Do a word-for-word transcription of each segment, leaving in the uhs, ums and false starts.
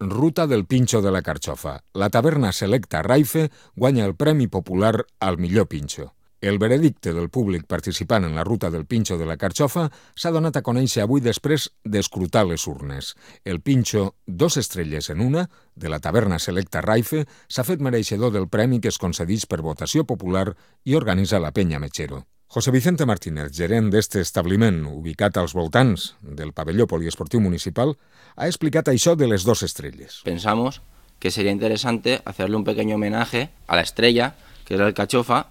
Ruta del Pinxo de la Carxofa. La taverna Selecta Raife guanya el Premi Popular al millor pinxo. El veredicte del públic participant en la Ruta del Pinxo de la Carxofa s'ha donat a conèixer avui després d'escrutar les urnes. El pinxo Dos estrelles en una, de la taverna Selecta Raife, s'ha fet mereixedor del premi que es concedeix per votació popular i organitza la Penya Mechero. José Vicente Martínez, gerent d'este establiment ubicat als voltants del pavelló poliesportiu municipal, ha explicat això de les dos estrelles. Pensamos que sería interesante hacerle un pequeño homenaje a la estrella, que es la alcachofa,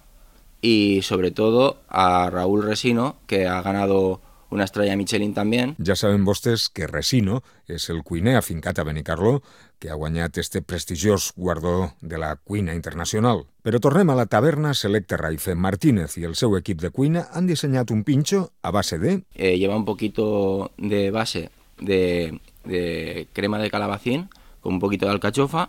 y sobre todo a Raúl Resino, que ha ganado una estrella Michelin también. Ja saben vostès que Resino és el cuiner afincat a Benicarló, que ha guanyat este prestigiós guardó de la cuina internacional. Però tornem a la taverna Selecta Raife. Martínez i el seu equip de cuina han dissenyat un pinxo a base de... Eh, lleva un poquito de base de, de crema de calabacín, con un poquito de alcachofa,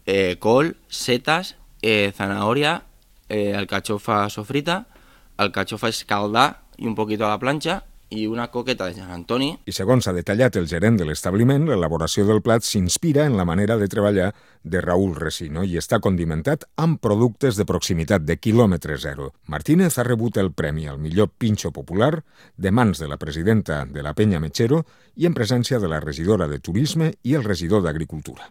eh, col, setas, eh, zanahoria, eh, alcachofa sofrita, alcachofa escaldada y un poquito a la plancha, i una coqueta de Sant Antoni. I segons ha detallat el gerent de l'establiment, l'elaboració del plat s'inspira en la manera de treballar de Raúl Resino i està condimentat amb productes de proximitat de quilòmetre zero. Martínez ha rebut el premi al millor pinxo popular de mans de la presidenta de la Penya Mechero i en presència de la regidora de Turisme i el regidor d'Agricultura.